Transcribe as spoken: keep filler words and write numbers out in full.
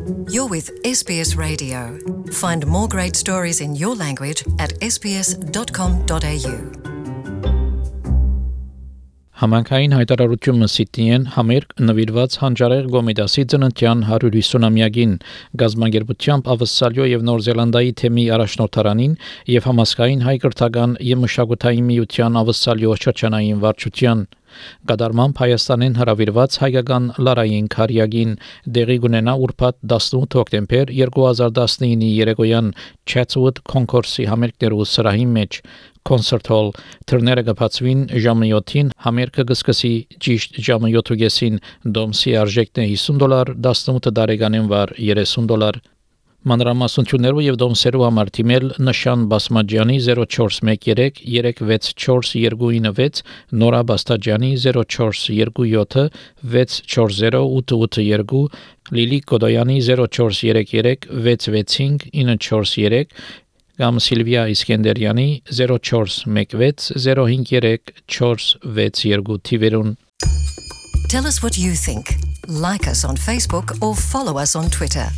You're with S B S Radio. Find more great stories in your language at s b s dot com dot a u. Համանքային հայտարարությունը Սիդնեին համերգ նվիրված հանճարեղ Գոմեդասի ծննդյան հարյուր ութսունամյակին գազագերբությամբ Ավստրալիա եւ Նոր Զելանդիայի թեմի առաջնորդարանին եւ համասկային հայ կրթական եւ մշակութային միության Ավստրալիա շրջանային վարչության Գադարման Հայաստանին հրավիրված հայկական լարային քարյակին դեղի կունենա ուրբաթ տասնութ հոկտեմբեր երկու հազար տասնինի երեկոյան Chatswood Concourse-ի համերգներու սրահի մեջ Concert Hall թռները կբացվին ժամը յոթին համերգը կսկսի ճիշտ ժամը յոթուգեսին դոմսի արժեքն է հիսուն դոլար տասնութ տարեկանին վար երեսուն դոլար Մանրամասնություններով եւ դոմսերու համար թիմել նշան Բասմաջյանի zero four one three three six four two nine six Նորա Բաստաջյանի zero four two seven six four zero eight eight two Լիլի Կոդոյանի zero four three three six six five nine four three կամ Սիլվիա Իսկենդերյանի zero four one six zero five three four six two թիվերուն Tell us what you think. Like us on Facebook or follow us on Twitter.